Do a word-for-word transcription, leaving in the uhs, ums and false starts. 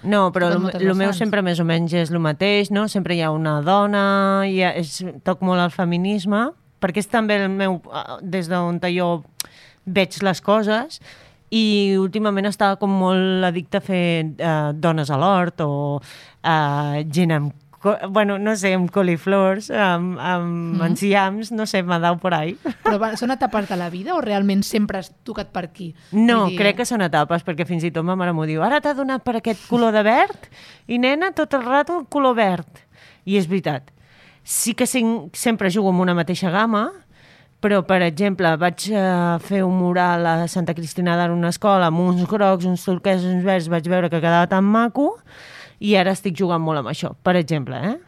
No, però el meu sempre més o menys és el mateix, no? Sempre hi ha una dona, hi ha, és, toc molt el feminisme, perquè és també el meu, des d'on jo veig les coses, i últimament estava com molt addicta a fer uh, dones a l'hort o uh, gent amb, bueno, no sé, amb coliflors, amb, amb mm. enciams, no sé, m'ha dau por ahí. Però va, són etapes de la vida o realment sempre has tocat per aquí? No, dir... crec que són etapes, perquè fins i tot ma mare m'ho diu, ara t'ha donat per aquest color de verd i nena, tot el rato el color verd. I és veritat. Sí que sempre jugo amb una mateixa gamma, però, per exemple, vaig uh, fer un mural a Santa Cristina d'Aro, una escola, amb uns grocs, uns turquesos, uns verds, vaig veure que quedava tan maco, i ara estic jugant molt amb això, per exemple, eh?